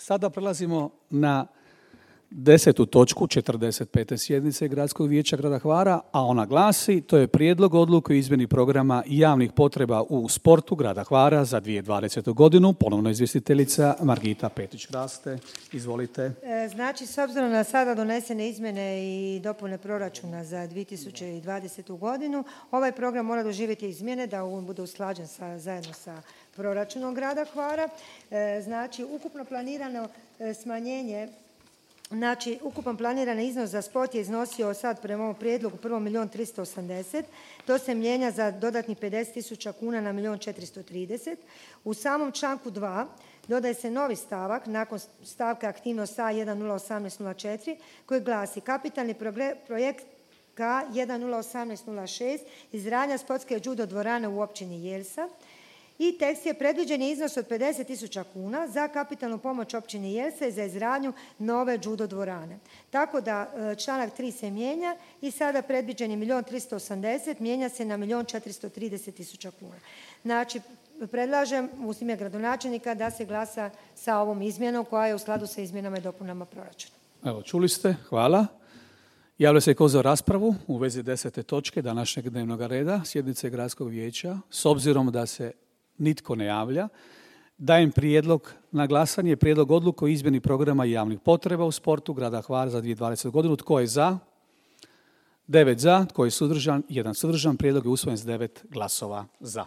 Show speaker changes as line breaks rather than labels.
Sada prelazimo na 10. točku 45. sjednice Gradskog vijeća grada Hvara, a ona glasi: to je prijedlog odluke o izmjeni programa javnih potreba u sportu grada Hvara za 2020. godinu. Ponovno izvjestiteljica Margita Petrić-Raste. Izvolite.
Znači, s obzirom na sada donesene izmjene i dopune proračuna za 2020. godinu, ovaj program mora doživjeti izmjene da on bude usklađen zajedno sa proračunom grada Hvara. Znači, ukupno planirano smanjenje, znači, ukupan planirani iznos za sport je iznosio sad prema ovom prijedlogu 1.380.000, to se mijenja za dodatnih 50.000 kuna na 1.430.000. U samom članku 2 dodaje se novi stavak nakon stavka aktivnost A 101804 koji glasi: kapitalni projekt K 101806 izgradnja sportske judo dvorane u općini Jelsa. I tekst je: predviđen je iznos od 50.000 kuna za kapitalnu pomoć općini Jelsa i za izgradnju nove judo dvorane. Tako da članak 3 se mijenja i sada predviđeni 1.380.000 mijenja se na 1.430.000 kuna. Znači, predlažem u ime gradonačelnika da se glasa sa ovom izmjenom koja je u skladu sa izmjenama i dopunama proračuna.
Evo, čuli ste, hvala. Javlja se tko za raspravu u vezi 10. točke današnjeg dnevnog reda sjednice Gradskog vijeća. S obzirom da se nitko ne javlja, dajem prijedlog na glasanje, prijedlog odluke o izmjeni programa javnih potreba u sportu grada Hvara za 2020. godinu. Tko je za? 9 za. Tko je suzdržan? 1 suzdržan. Prijedlog je usvojen s 9 glasova za.